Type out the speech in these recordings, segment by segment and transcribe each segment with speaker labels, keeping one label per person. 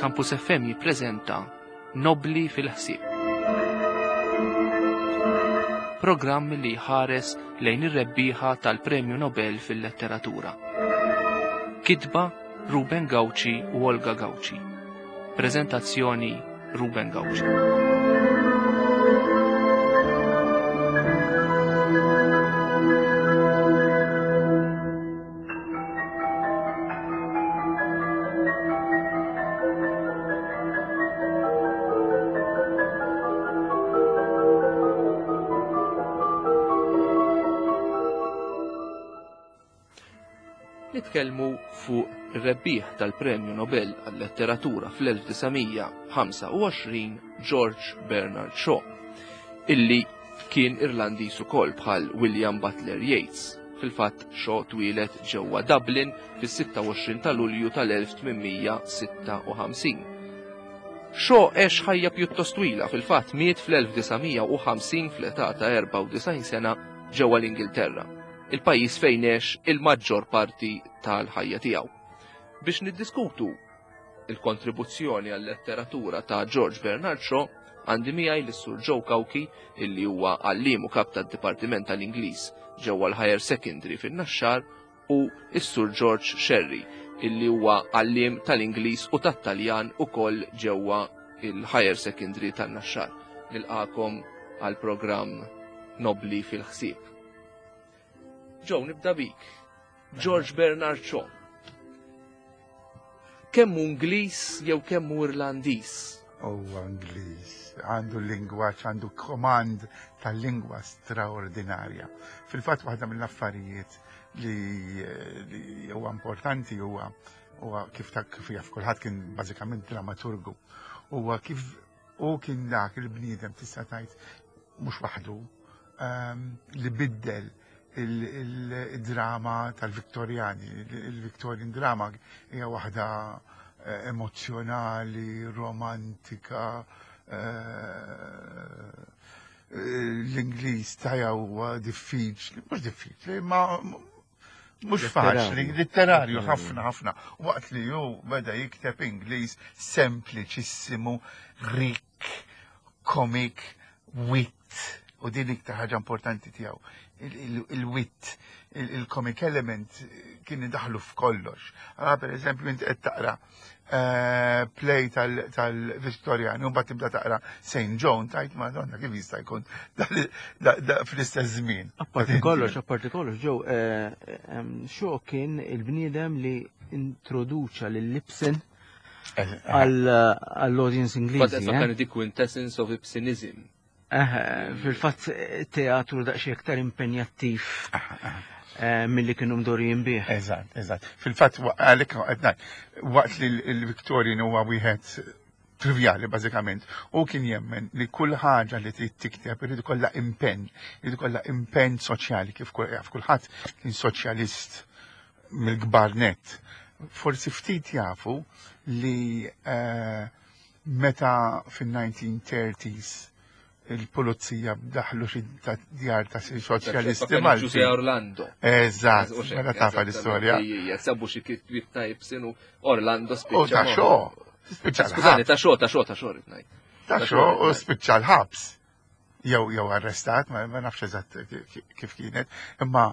Speaker 1: Campus FM jippreżenta Nobli fil-ħsieb. Programm li jħares lejn ir-rebbieħa tal-Premju Nobel fil-Letteratura. Kitba Ruben Gauci u Olga Gauci. Preżentazzjoni Ruben Gauci. Nitkellmu fuq ir-rebbieħ tal-Premju Nobel għal-Letteratura fl-1925 George Bernard Shaw, illi kien Irlandiż ukoll bħal William Butler Yeats. Fil-fatt Shaw twieled ġewwa Dublin fis-26 ta' Lulju tal-1856. Shaw għex ħajja pjuttost twila, fil-fatt miet fl-1950 fl-età ta' 94 sena ġewwa l-Ingilterra. il-pajjiż fejn għex il-maġġor parti tal-ħajja tiegħu. Biex niddiskutu il-kontribuzzjoni għal-letteratura ta' George Bernard Shaw, għandi miegħi lis-Sur Joe Cauchi illi huwa għalliem u kap tad-Dipartiment tal-Ingliż ġewwa l-Higher Secondary fin-Naxxar u s-Sur George Scerri illi huwa għalliem tal-Ingliż u tat-Taljan ukoll ġewwa il-Higher Secondary tan-Naxxar. Nilqakom għal programm Nobli fil-ħsieb. Joe, nibda bik. George Bernard Shaw. Kemm hu Ingliż jew kemm hu Irlandiż?
Speaker 2: Huwa Ingliż, għandu l-lingwaġġ, għandu komand tal-lingwa straordinarja. Fil-fatt waħda mill-affarijiet li, li huwa importanti huwa huwa kif ta' kif jaf kulħadd kien bażikament dramaturgu. Huwa kif u kien dak il-bniedem tista' tgħid mhux waħdu ehm, li biddel il-drama tal-Viktorjani. Il-Victorian drama hija waħda eh, emozjonali, romantika, eh, l-Ingliż tajja huwa diffiċli, mhux diffiċli, ma mhux faċli, litterarju ħafna ħafna. Waqt li hu beda jikteb Ingliż sempliċissimu, rik, komik, wit, u din iktar ħaġa importanti tiegħu. Il-wit, il-comic element kien idaħlu f'kollox. Għala per eżempju inti qed taqra eh, play tal-Viktorjani u mbagħad tibda taqra St. John tajt Madonna kif jista' jkun fl-istess żmien.
Speaker 3: Apparti kollox, apparti kollox, ġew eh, xo kien il-bniedem li introduċa lil Ibsen eh, għall-audience Ingliżi.
Speaker 1: But the quintessence of Ibsenism.
Speaker 3: Fil-fatt teatru daqsxejn aktar impenjattiv eh, milli kienu mdorijin bih.
Speaker 2: Eżatt, eżatt. Fil-fatt għalhekk waqt li l-Victorian huwa wieħed trivjali bażikament, u kien jemmen li kull ħaġa li trid tikteb irid ikollha impenn, irid ikollha impenn soċjali kif kulħadd kien soċjalist mill-kbar net. Forsi ftit jafu li eh, Meta fin-1930s il-pulizija daħlu xi djar ta' xi soċjalisti
Speaker 1: Malti. Ġuże Orlando.
Speaker 2: Eżatt, mela tafa l-istorja.
Speaker 1: Sabu xi kitbiet ta' Ibsen u Orlando spiċċa.
Speaker 2: U ta' xo.
Speaker 1: Spiċċa. Skużani, ta' xo, ta' xo, ta' xo rid ngħid.
Speaker 2: Ta' xo u spiċċa l-ħabs. Jew jew arrestat, ma nafx eżatt kif kienet, imma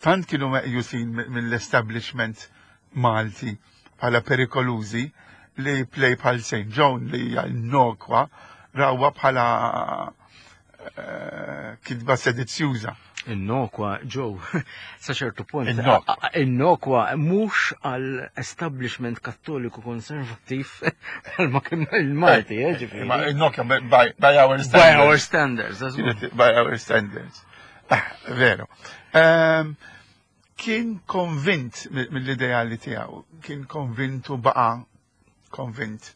Speaker 2: tant kienu meqjusin mill-establishment Malti bħala perikolużi li play bħal St. John li hija innokwa rawha bħala eh, kitba sedizzjuża.
Speaker 3: Innokwa, ġew, sa ċertu punt. Innokwa mhux għal establishment kattoliku konservattiv bħalma kien il-Malti, eh, ġifieri.
Speaker 2: Ma innokwa by, by our standards.
Speaker 3: By our standards.
Speaker 2: By our standards. Ah, veru. Um, Kien konvint mill-ideali tiegħu, kien konvint u baqa' konvint.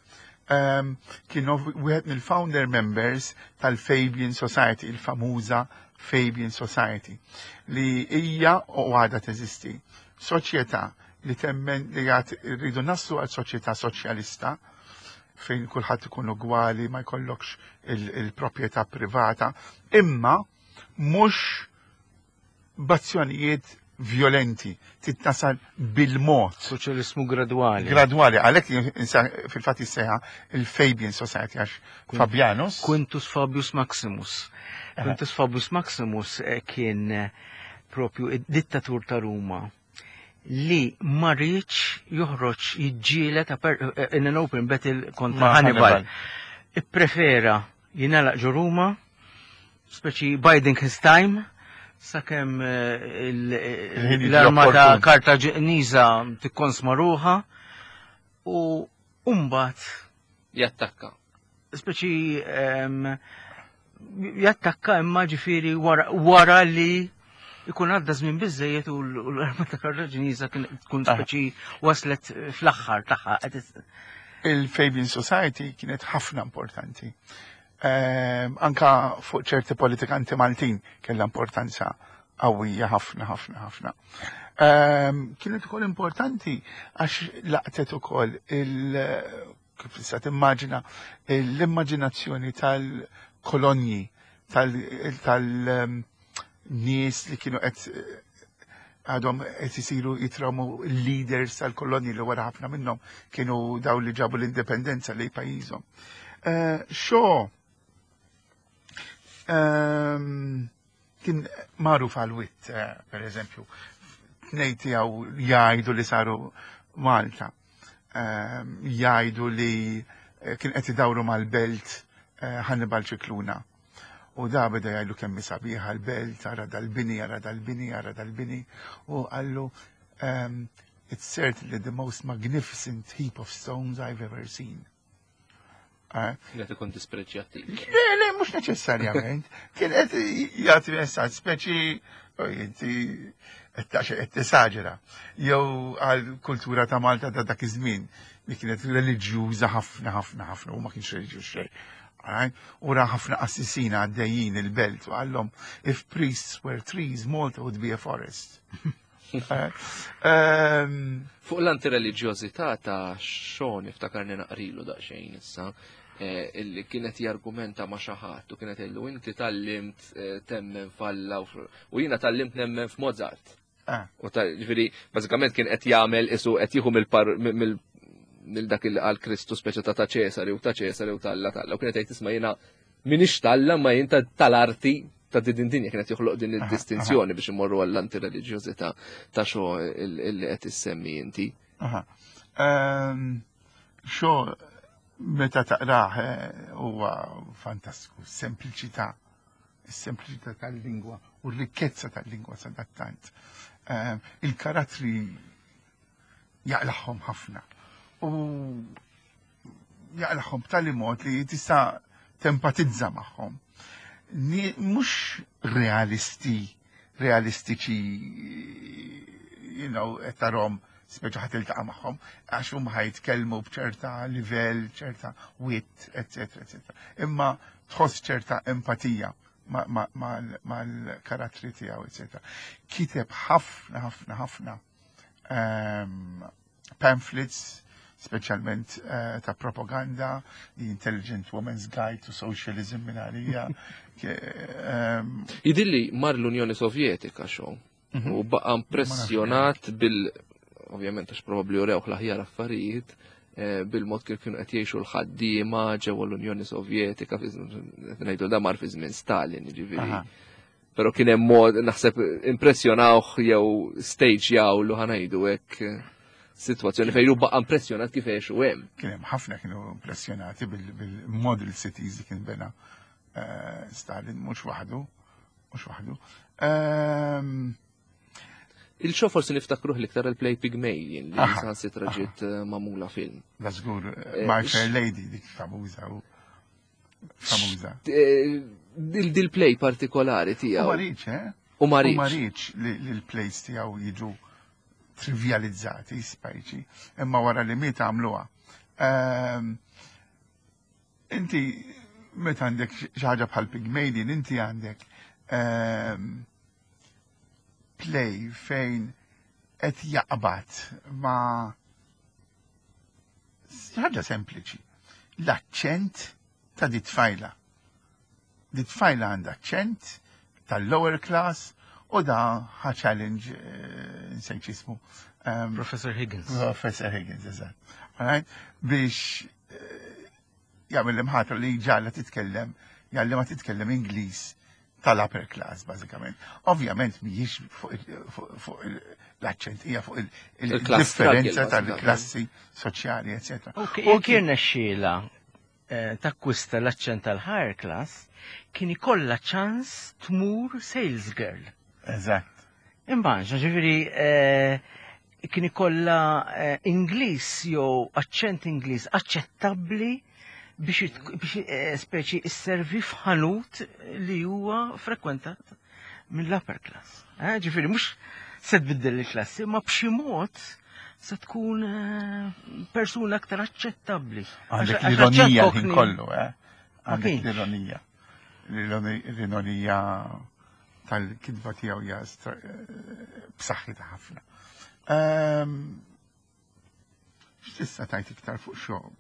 Speaker 2: Um, kien wieħed mill-founder members tal-Fabian Society, il-famuża Fabian Society, li hija u għadha teżisti. Soċjetà li temmen li għad rridu naslu għal soċjetà soċjalista fejn kulħadd ikun ugwali, ma jkollokx il-proprjetà privata, imma mhux b'azzjonijiet violenti, titnasal bil-mod.
Speaker 3: Soċjalismu gradwali.
Speaker 2: Gradwali, għalhekk fil-fatt jissejħa il-Fabian Society għax Fabianus.
Speaker 3: Quintus Fabius Maximus. Quintus Fabius Maximus eh, kien eh, propju id-dittatur ta' Ruma li ma rridx joħroġ jiġġieled eh, in an open battle kontra Hannibal. Ipprefera jingħalaq ġo Ruma, speċi biding his time, sakemm eh, l-armata Kartaġiniża tikkonsma ruħha u mbagħad
Speaker 1: jattakka.
Speaker 3: Speċi ehm, jattakka imma ġifieri wara li ikun għadda żmien biżejjed u l-armata Kartaġiniża tkun ah. speċi waslet fl-aħħar tagħha.
Speaker 2: Il-Fabian Society kienet ħafna importanti. Ehm, anka fuq ċerti politikanti Maltin kellha importanza qawwija ħafna ħafna ħafna. Ehm, kienet ukoll importanti għax laqtet ukoll il kif tista' timmaġina l-immaġinazzjoni tal-kolonji tal-nies li kienu qed għadhom qed isiru jitrawmu leaders tal-kolonji li wara ħafna minnhom kienu daw li ġabu l-indipendenza lejn pajjiżhom. Eh, Shaw ehm, kien magħruf għal wit, eh, per eżempju, tnej tiegħu jgħidu li saru Malta, ehm, jgħidu li eh, kien qed idawru mal-belt eh, Hannibal Ċikluna. U da beda jgħidu kemm sabiħa l-belt, ara dal-bini, ara dal-bini, ara dal-bini, u qallu ehm, it's certainly the most magnificent heap of stones I've ever seen.
Speaker 1: Eh? Kienet ikun dispreġjattiv.
Speaker 2: Le, le, mhux neċessarjament. Kien qed jagħti messaġġ speċi oh, inti qed taqxa qed tesaġera. Jew għal kultura ta' Malta ta' dak iż-żmien li kienet reliġjuża ħafna ħafna ħafna u ma kienx reliġjuż xejn. U ra ħafna qassisin għaddejjin il-belt u għallhom if priests were trees, Malta would be a forest. Ehm,
Speaker 1: Fuq l-antireliġjożità ta' Sean iftakarni naqrilu daqsxejn issa, eh, illi kienet jargumenta ma' xi ħadd u kienet jgħidlu inti tallimt eh, temmen f'Alla u jiena tallimt nemmen f'Mozart. Ah. U ta' ġifieri bażikament kien qed jagħmel isu qed jieħu mill mill dak il qal Kristu speċi ta' ta' Ċesari u ta' Ċesari u tal-Alla tal-Alla u kienet jgħid isma' jiena minix tal-Alla ma jien tal-arti ta' din dinja kienet joħloq din id-distinzjoni biex imorru għall-antireliġjożità ta' xo illi qed issemmi inti.
Speaker 2: Ehm, xo meta taqrah eh, huwa fantastiku, sempliċità, is-sempliċità tal-lingwa u r-rikkezza tal-lingwa sadattant. Ehm, il-karattri jaqlaħħom ħafna. U jaqlaħħom b'tali mod li tista' tempatizza magħhom. Mhux realisti, realistiċi, you know, qed tarhom speċi ħadd iltaqa' magħhom, għax huma ħajtkellmu b'ċerta livell, ċerta wit, eċetera, eċetera. Imma tħoss ċerta empatija mal-karattri tiegħu, eċetera. Kiteb ħafna, ħafna, ħafna ehm, pamphlets, speċjalment eh, ta' propaganda, The Intelligent Woman's Guide to Socialism minn għalija.
Speaker 1: Ehm, Jidilli mar l-Unjoni Sovjetika xo mhm. u baqa impressjonat bil ovvjament għax probabbli urewh l-aħjar affarijiet, eh, bil-mod kif kienu qed jgħixu l-ħaddiema ġewwa l-Unjoni Sovjetika, ngħidu da mar fi żmien Stalin, jiġifieri. Pero kien hemm mod naħseb impressjonawh jew stage jaw lu ħanajdu hekk eh, sitwazzjoni fejn baqa' impressjonat kif għexu hemm.
Speaker 2: Kien hemm ħafna kienu impressjonati bil-model cities li kien bena eh, Stalin mhux waħdu, mhux waħdu. Ehm,
Speaker 1: Il-xo forsi niftakruh l-iktar il-play Pygmalion li saħansitra ġiet eh, magħmula film.
Speaker 2: Da żgur, My Fair Lady dik famuża famuża.
Speaker 1: Eh, dil-play partikolari tiegħu.
Speaker 2: U mariċ, eh?
Speaker 1: U mariċ.
Speaker 2: U mariċ li l-plays tiegħu jiġu trivializzati, spajċi, imma wara li miet għamluha. Ehm, inti meta għandek xi ħaġa bħal Pygmalion, inti għandek ehm, play fejn qed jaqbad ma' ħaġa sempliċi. L-aċċent ta' di tfajla. Di tfajla għandha aċċent tal-lower class U da ħa challenge eh, nsejt jismu.
Speaker 3: Ehm, Professor Higgins.
Speaker 2: Professor Higgins, eżatt. Alright? Biex eh, jagħmel l-imħatra li ġalla titkellem, jgħallimha titkellem Ingliż tal-upper class, bażikament. Ovvjament mhijiex fuq l-aċċent, hija fuq il-differenza tal-klassi soċjali, eccetera.
Speaker 3: U kien xila eh, takkwista l-aċċent tal-higher class, kien ikollha ċans tmur sales girl.
Speaker 2: Eżatt.
Speaker 3: Imbanġa, ġifieri eh, kien ikollha eh, Ingliż jew aċċent Ingliż aċċettabbli biex eh, speċi isservi f'ħanut li huwa frekwentat mill-upper class. Eh, ġifieri mhux se tbiddel il-klassi, ma b'xi mod se tkun persuna aktar aċċettabbli.
Speaker 2: Għandek l-ironija ħin kollu, eh? Għandek l-ironija. L-ironija tal-kitba tiegħu hija b'saħħitha ħafna. Ehm, x'tista' tajt iktar fuq xogħol?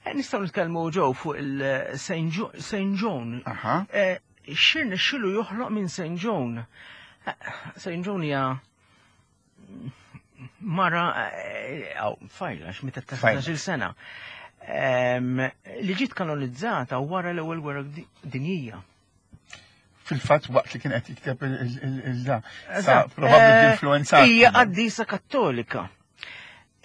Speaker 3: Eh, nistgħu nitkellmu ġew fuq il-St. John. Eh, Xirna xilu joħloq minn St. John. Eh, St. John hija mara fajla x'meta ta' 16 sena. Ehm, li ġiet kanonizzata wara l-ewwel gwerra dinjija.
Speaker 2: Fil-fatt waqt li kien qed jikteb il-da. Probabbli eh, influenza.
Speaker 3: Hija qaddisa kattolika.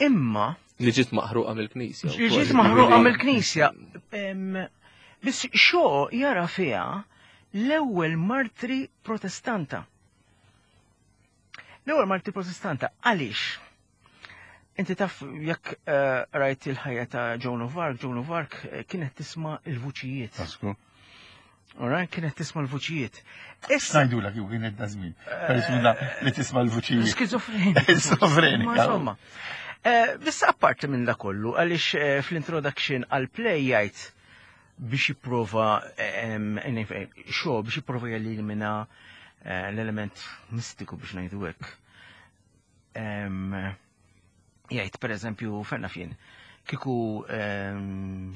Speaker 3: Imma
Speaker 1: li ġiet maħruqa mill-Knisja.
Speaker 3: Li ġiet maħruqa mill-Knisja. Biss xo jara fiha l-ewwel martri protestanta. L-ewwel martri protestanta għaliex? Inti taf jekk eh, rajt il-ħajja ta' Joan of Arc, Joan of Arc eh, kienet tisma' il-vuċijiet.
Speaker 2: Tasku.
Speaker 3: Ora, kienet tisma' l-vuċijiet.
Speaker 2: Issa ngħidulek jew kienet da żmien. Persuna li tisma' l-vuċijiet.
Speaker 3: Skizofrenika.
Speaker 2: Skizofrenika.
Speaker 3: Insomma. Eh, biss apparti minn da kollu, għaliex fl-introduction għal-play jgħid biex jipprova xo biex jipprova jelimina l-element mistiku biex ngħidu hekk Jgħid per eżempju ferna fien, kiku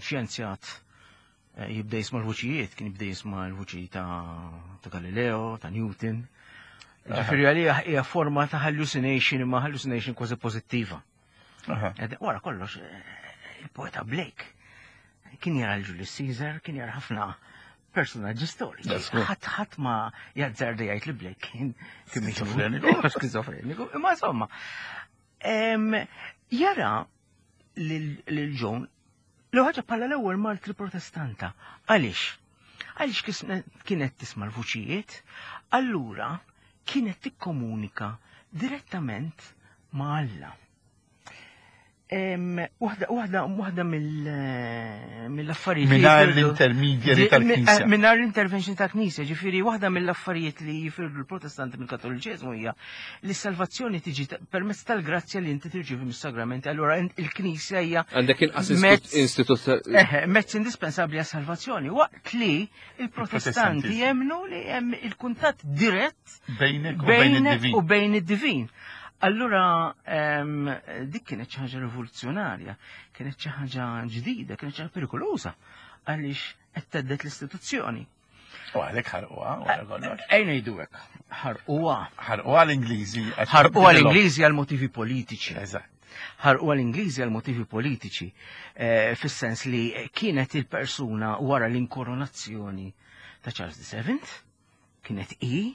Speaker 3: xjenzjat eh, jibda jisma' l-vuċijiet, kien jibda jisma' l-vuċi ta' Galileo, ta' Newton. Ġifieri għalija hija forma ta' hallucination imma hallucination kważi pożittiva. Wara kollox, eh, il-poeta Blake kien jara l-Julius Caesar, kien jara ħafna personaġġi storiċi. Ħadd ħadd ma jazzarda jgħid li Blake kien
Speaker 2: skizofreniku.
Speaker 3: Skizofreniku, imma insomma. Jara lil John l ħaġa bħala l-ewwel martri protestanta. Għaliex? Għaliex kienet tisma' l-vuċijiet, allura kienet tikkomunika direttament ma' Alla. Waħda waħda waħda mill-affarijiet.
Speaker 2: Mingħajr l-intermedjari tal-Knisja.
Speaker 3: Eh, mingħajr l-intervention tal-Knisja, ġifieri waħda mill-affarijiet li jifirdu l-Protestanti mill-Kattoliċiżmu hija li s-salvazzjoni tiġi permezz tal-grazzja li inti tirċievi mis-sagramenti. Allura il-Knisja hija
Speaker 1: Għandek inqas istitut
Speaker 3: mezz indispensabbli għas-salvazzjoni waqt li il-Protestanti jemmnu li hemm il-kuntatt dirett
Speaker 2: Bejnek u bejn id-divin.
Speaker 3: U bejn id-divin. Allura dik kienet xi ħaġa rivoluzzjonarja, kienet xi ħaġa ġdida, kienet xi ħaġa perikoluża għaliex qed teddet l-istituzzjoni.
Speaker 2: U għalhekk ħarquha wara kollox.
Speaker 3: Ejn ngħidu hekk, ħarquha.
Speaker 2: Ħarquha l-Ingliżi.
Speaker 3: Ħarquha l-Ingliżi għal motivi politiċi.
Speaker 2: Eżatt.
Speaker 3: Ħarquha l-Ingliżi għal motivi politiċi, eh, fis-sens li kienet il-persuna wara l-inkoronazzjoni ta' Charles VII Kienet i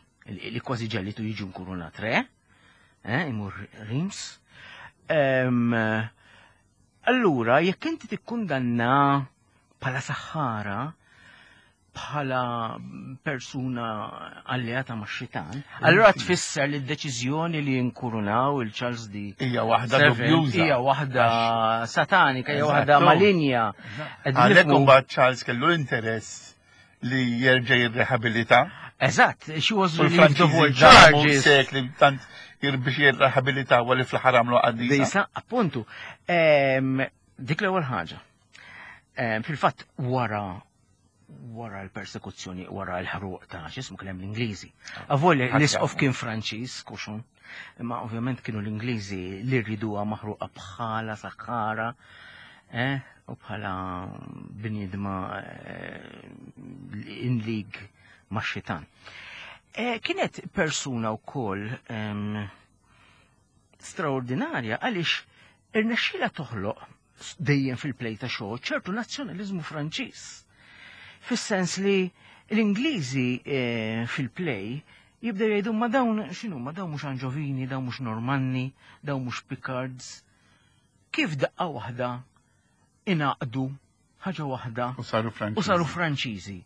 Speaker 3: li kważi ġellitu jiġu nkurunat re, eh, imur Reims. Allura, jekk inti tikkundanna bħala saħħara, bħala persuna alleata ma' xitan, allura tfisser li d-deċiżjoni li jinkurunaw il-Charles di
Speaker 2: hija waħda dubjuża.
Speaker 3: Hija waħda satanika, hija waħda malinja.
Speaker 2: Għalhekk imbagħad Charles kellu interess li jerġa' jirrehabilita.
Speaker 3: Eżatt, she was relieved of all charges.
Speaker 2: Sekli tant biex jirrehabilita u li fl-aħħar għamlu qaddisa.
Speaker 3: Disa, appuntu. Dik l-ewwel ħaġa. Fil-fatt wara wara l-persekuzzjoni, wara l-ħruq ta' x'ismu kien hemm l-Ingliżi. Avolja l-isqof kien Franċiż, kuxun, imma ovvjament kienu l-Ingliżi li rriduha maħruqa bħala saħħara, eh, u bħala bniedma eh, in league ma' xitan. Eh, kienet persuna wkoll straordinarja għaliex irnexxila toħloq dejjem fil-play ta' Shaw ċertu nazzjonaliżmu Franċiż. Fis-sens li l-Ingliżi eh, fil-play jibdew jgħidu ma dawn x'inhu ma dawn mhux Anġovini, dawn mhux Normanni, dawn mhux Picards. Kif daqqa waħda ingħaqdu ħaġa waħda
Speaker 2: u saru Franċiżi.
Speaker 3: U saru Franċiżi.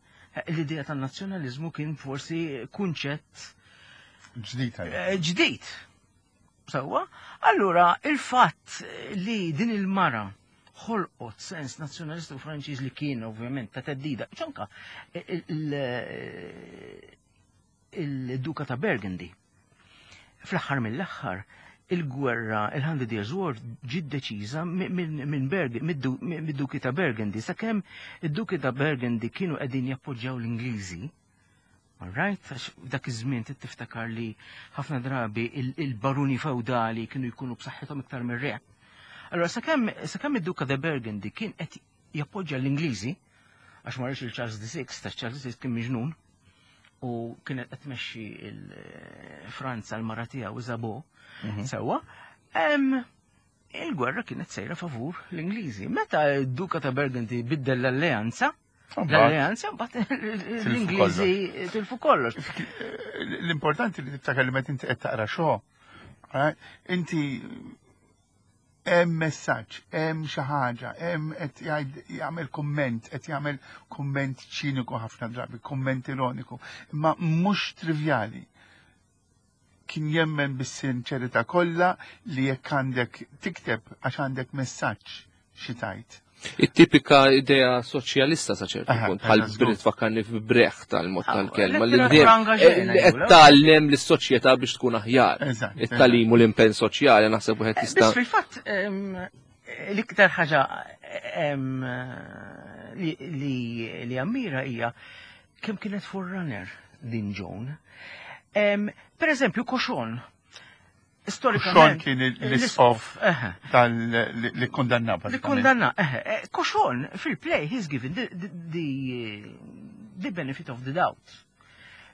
Speaker 3: L-idea tan-nazzjonaliżmu kien forsi kunċett
Speaker 2: ġdid.
Speaker 3: Eh, ġdid. Sewwa, allura il-fatt li din il-mara ħolqot sens nazzjonalista u Franċiż li kien ovvjament ta' teddida, ċanka il-Duka ta' Burgundy. Fl-aħħar mill-aħħar, il-gwerra, il-Hundred Years War ġiet deċiża minn mid-Duki ta' Burgundy, sakemm id-Duki ta' Burgundy kienu qegħdin jappoġġjaw l-Ingliżi. All right, għax dak iż-żmien tiftakar li ħafna drabi il-baruni feudali kienu jkunu b'saħħithom iktar mir-re. Allora sakemm sakemm id-Duka ta' Burgundy kien qed jappoġġja l-Ingliżi, għax ma il Charles VI, ta' Charles VI kien miġnun, u kienet qed tmexxi il-Franza l-mara tiegħu Isabeau, mhm. sewwa, il-gwerra kienet sejra favur l-Ingliżi. Meta d-Duka ta' Burgundy biddel l-alleanza, l-alleanza mbagħad l-Ingliżi tilfu kollox.
Speaker 2: L-importanti li tiftakar li meta inti qed taqra xogħol, eh, inti hemm messaġġ, hemm xi ħaġa, hemm qed jagħmel kumment, qed jagħmel kumment ċiniku ħafna drabi, kumment ironiku, imma mhux trivjali. Kien jemmen bis-sinċerità kollha li jekk għandek tikteb għax għandek messaġġ xi tgħid.
Speaker 1: It-tipika idea soċjalista sa ċertu punt, bħal Britt fakkarni f'Brecht tal-mod ah, tal-kelma li qed tgħallem lis-soċjetà biex tkun aħjar. It-talim u l-impenn soċjali naħseb wieħed
Speaker 3: eh, jista' Fil-fatt l-iktar ħaġa li ammira hija kemm kienet forerunner din Joan. Per eżempju, Koxon,
Speaker 2: Storikament. Xon kien l-isqof tal-li kondanna.
Speaker 3: Li kondanna, eh, Koxon fil-play he's given the, the, the benefit of the doubt.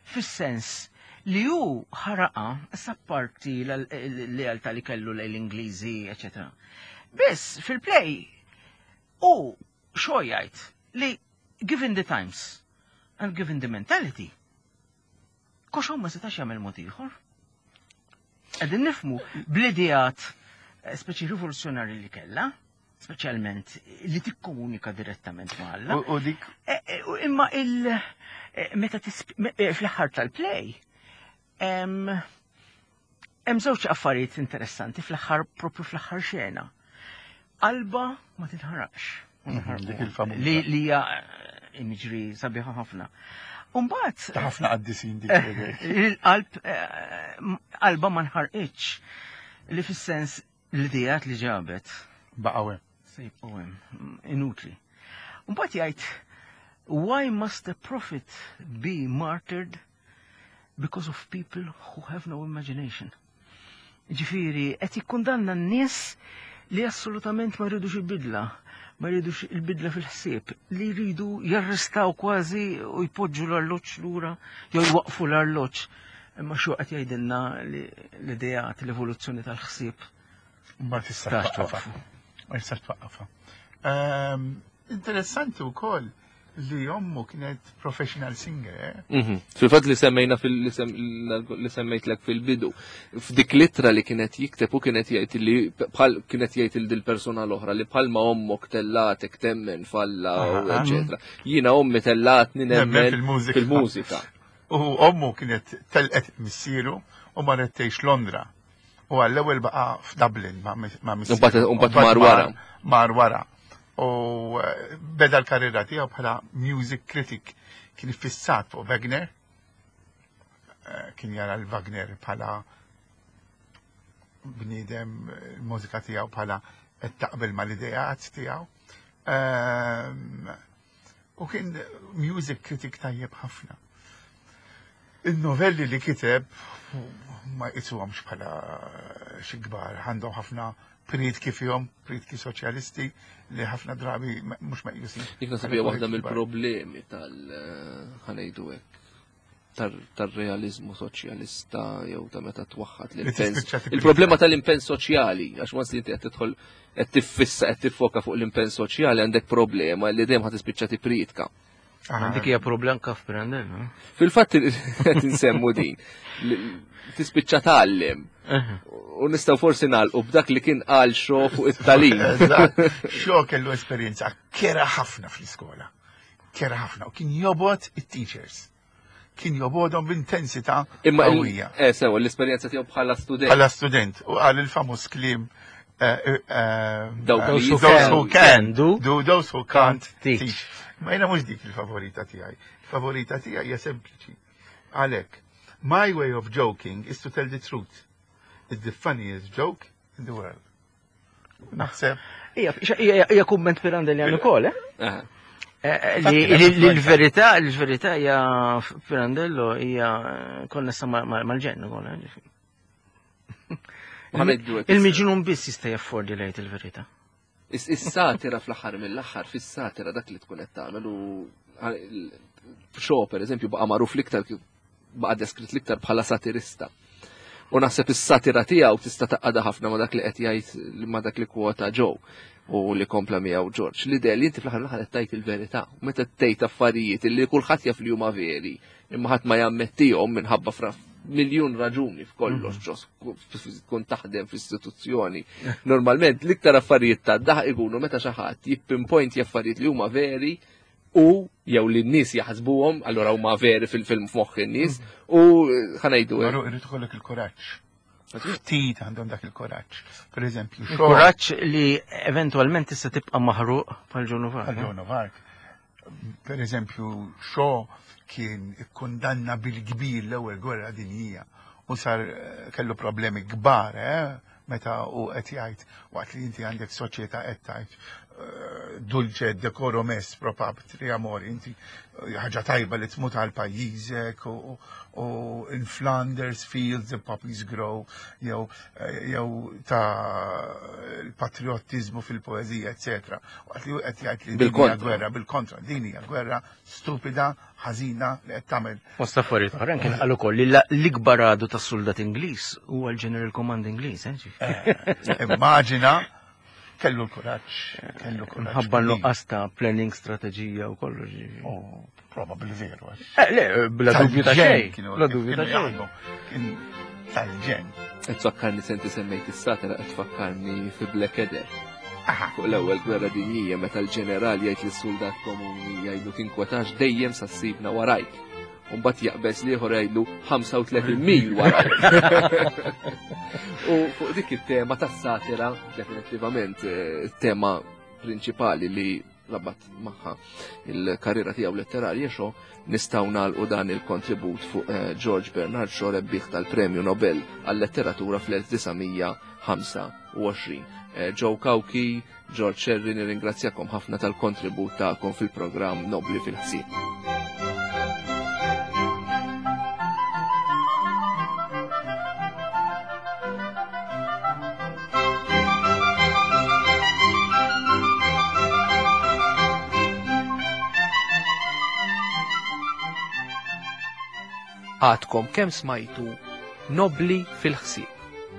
Speaker 3: Fis-sens li hu ħaraqa sapparti l-lealtà li kellu lejn l-Ingliżi, eċetera. Biss fil-play u xo jgħid li given the times and given the mentality, Koxon ma setax jagħmel mod ieħor. Qegħdin nifmu bl-ideat eh, speċi rivoluzzjonarji li kellha, speċjalment li tikkomunika direttament ma' Alla.
Speaker 2: U dik.
Speaker 3: Eh, eh, imma il meta fl-aħħar tal-play hemm żewġ affarijiet interessanti fl-aħħar propju fl-aħħar xena. Alba ma tinħaraqx. Mhm, li hija eh, imagery sabiħa ħafna. Umbat.
Speaker 2: Ta' ħafna qaddisin dik.
Speaker 3: Eh, il-qalb eh, qalba ma nħarqitx li fis-sens l-idejat li ġabet.
Speaker 2: Baqgħu hemm.
Speaker 3: Se jibqgħu hemm, inutli. Umbat jgħid, why must a prophet be martyred because of people who have no imagination? Ġifieri, qed jikkundanna n-nies li assolutament ma jridux il-bidla, ma jridux il-bidla fil-ħsieb, li jridu jarrestaw kważi u jpoġġu l-arloġġ lura jew jwaqfu l-arloġġ. Imma xo qed jgħidilna li l-ideat, l-evoluzzjoni tal-ħsieb.
Speaker 2: Ma tistax twaqqafha. Ma tistax twaqqafha. Ehm, interessanti wkoll li ommu kienet professional singer. Eh?
Speaker 1: Mhm. Fil-fatt li semmejna li semmejtlek fil-bidu, f'dik litra li kienet jikteb u kienet jgħid li bħal kienet jgħid il dil persuna l-oħra li bħal ma ommok tellatek temmen falla, eċetera. Jiena ommi tellatni nemmen fil-mużika.
Speaker 2: U ommu kienet telqet missieru u marret tgħix Londra. U għall-ewwel baqa' f'Dublin ma'
Speaker 1: missieru. U mbagħad mar wara.
Speaker 2: Mar wara. U eh, beda l-karriera tiegħu bħala music critic kien iffissat fuq Wagner. Eh, kien jara l-Wagner bħala bniedem il-mużika tiegħu bħala qed taqbel mal-ideat tiegħu. Ehm, U kien music critic tajjeb ħafna. Il-novelli li kiteb ma jqisuhomx bħala xi kbar, għandhom ħafna prietki fihom, prietki soċjalisti li ħafna drabi mhux meqjusin.
Speaker 1: Dik nasib hija waħda mill-problemi tal eh, ħanejdu hekk. tar-realizmu soċjalista jew ta' meta twaħħad l-impenn. Il-problema tal-impenn soċjali, għax once li inti qed tidħol qed tiffissa qed tiffoka fuq l-impenn soċjali għandek problema li dejjem ħad tispiċċa tipritka.
Speaker 3: Ah. Dik hija problem kaf Pirandello. Eh?
Speaker 1: Fil-fatt qed insemmu din. Tispiċċa tgħallem. U nistgħu forsi nagħlqu b'dak li kien qal xo fuq it-talim.
Speaker 2: Xo kellu esperjenza kera ħafna fl-iskola. Kera ħafna u kien jobgħod it-teachers. Kien jobgħodhom b'intensità qawwija.
Speaker 1: Eh sewa l-esperjenza tiegħu bħala student.
Speaker 2: Bħala student u qal il-famuż kliem eh, eh,
Speaker 1: those who
Speaker 2: can do, do those who can't teach. Ma jiena mhux dik il-favorita tiegħi. Il-favorita tiegħi hija sempliċi. Għalhekk, my way of joking is to tell the truth. It's the funniest joke in the world. Naħseb.
Speaker 3: Hija kumment Pirandellian ukoll, eh? eh? eh l-verità, l-verità hija Pirandello hija konnessa mal-ġenn ukoll. Eh, Il-miġnun biss jista' jaffordi lejt il-verità.
Speaker 1: Is-satira fl-aħħar mill-aħħar fis-satira dak li tkun qed tagħmel u Shaw pereżempju baqa' magħruf l-iktar baqa' deskritt l-iktar bħala satirista. U naħseb is-satira tiegħu tista' taqgħadha ħafna ma' dak li qed jgħid ma' dak li kwota Joe u li kompla miegħu George. L-idea li inti fl-aħħar mill-aħħar qed tgħid il-verità. Meta tgħid affarijiet li kulħadd jaf li huma veri, imma ħadd ma jammettihom minħabba fra miljun raġuni f'kollox mhm. ġos tkun taħdem f'istituzzjoni. Normalment l-iktar affarijiet ta' daħ ikunu meta xi ħadd jippinpoint affarijiet li huma veri u jew li n-nies jaħsbuhom, allura huma veri fil-film f'moħħ in-nies mhm. u ħanajdu.
Speaker 2: Maru irid ikollok il-kuraġġ. Ftit għandhom dak il-kuraġġ. Per eżempju,
Speaker 3: kuraġġ li eventwalment tista' tibqa' maħruq bħal Joan of
Speaker 2: Arc. Bħal Joan of Arc. Per eżempju, Shaw kien ikkundanna bil-kbir l-ewwel gwerra dinjija u sar eh, kellu problemi kbar, eh, meta u qed jgħid waqt li inti għandek soċjetà qed tgħid eh, dulce decorum est pro patria mori, inti eh, ħaġa tajba li tmut għal pajjiżek u in Flanders fields the poppies grow jew jew ta' l-patriottiżmu fil-poeżija, eċetera. Waqt li qed jgħid li din hija gwerra bil-kontra, din hija gwerra stupida, ħażina li qed tagħmel.
Speaker 3: Fost affarijiet oħra kien qal ukoll li l-ikbar għadu tas-suldat Ingliż huwa l-General Command Ingliż, eh,
Speaker 2: eh Immaġina kellu l-kuraġġ, kellu
Speaker 3: kuraġġ. Ħabba nuqqas ta' planning strateġija u kollox.
Speaker 2: Oh, Probabli veru.
Speaker 3: Eh, le, bla dubju ta' xejn. Bla dubju ta' xejn.
Speaker 2: Tal-ġen.
Speaker 1: Qed tfakkarni senti semmejt is-satira qed tfakkarni fi Blackadder. Fuq l-ewwel gwerra dinjija meta l-ġeneral jgħid lis-suldat komuni jgħidlu tinkwetax dejjem sa ssibna warajk. U mbagħad jaqbeż l-ieħor jgħidlu 35 mil warajk. U fuq dik it-tema tas-satira, definittivament eh, tema prinċipali li rabat magħha il-karriera tiegħu letterarja xo nistgħu nagħlqu dan il-kontribut fuq eh, George Bernard Shaw rebbieħ tal-Premju Nobel għal-letteratura fl-1925. Eh, Joe Cauchi, George Sherry, nirringrazzjakom ħafna tal-kontribut tagħkom fil-programm Nobli fil-ħsieb. Għadkom kemm smajtu Nobli fil-ħsieb.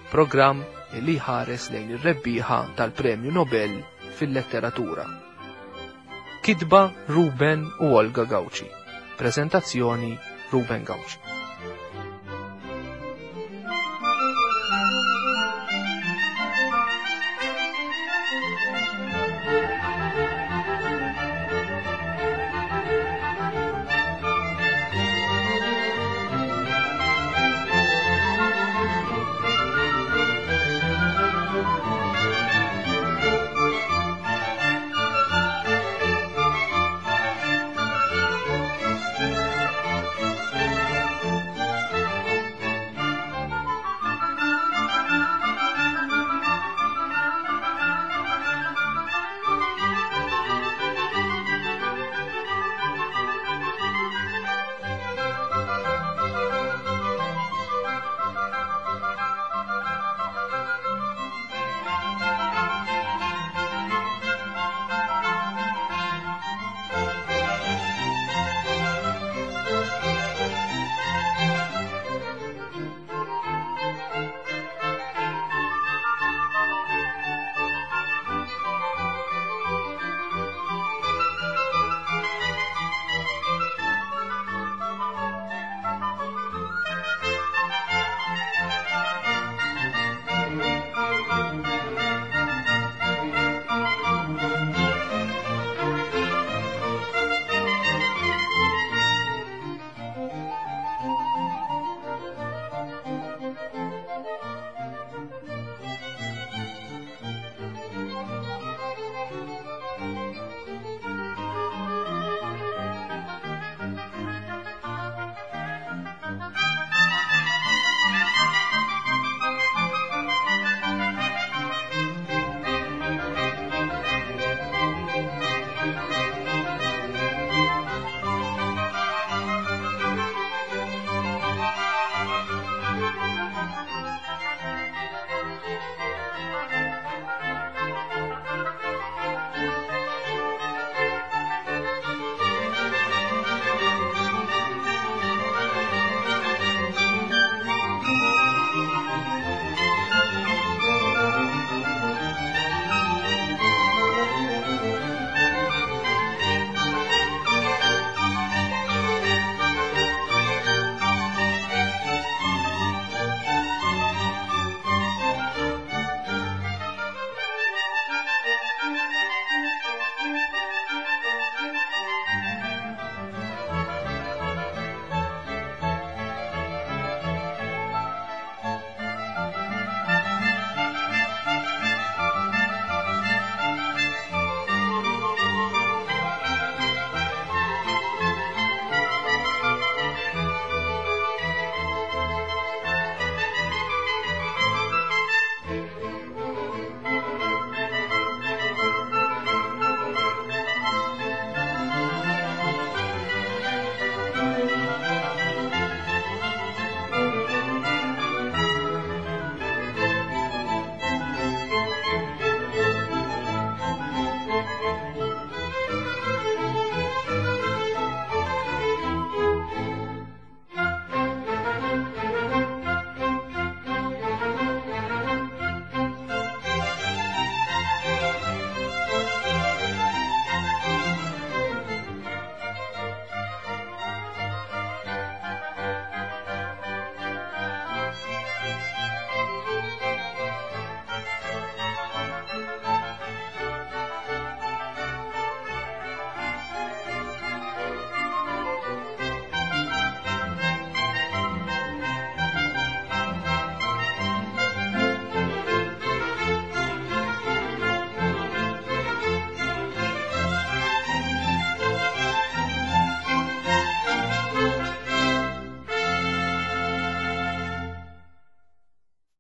Speaker 1: Programm li jħares lejn ir-rebbieħa tal-Premju Nobel fil-Letteratura. Kitba Ruben u Olga Gauci. Prezentazzjoni Ruben Gauci.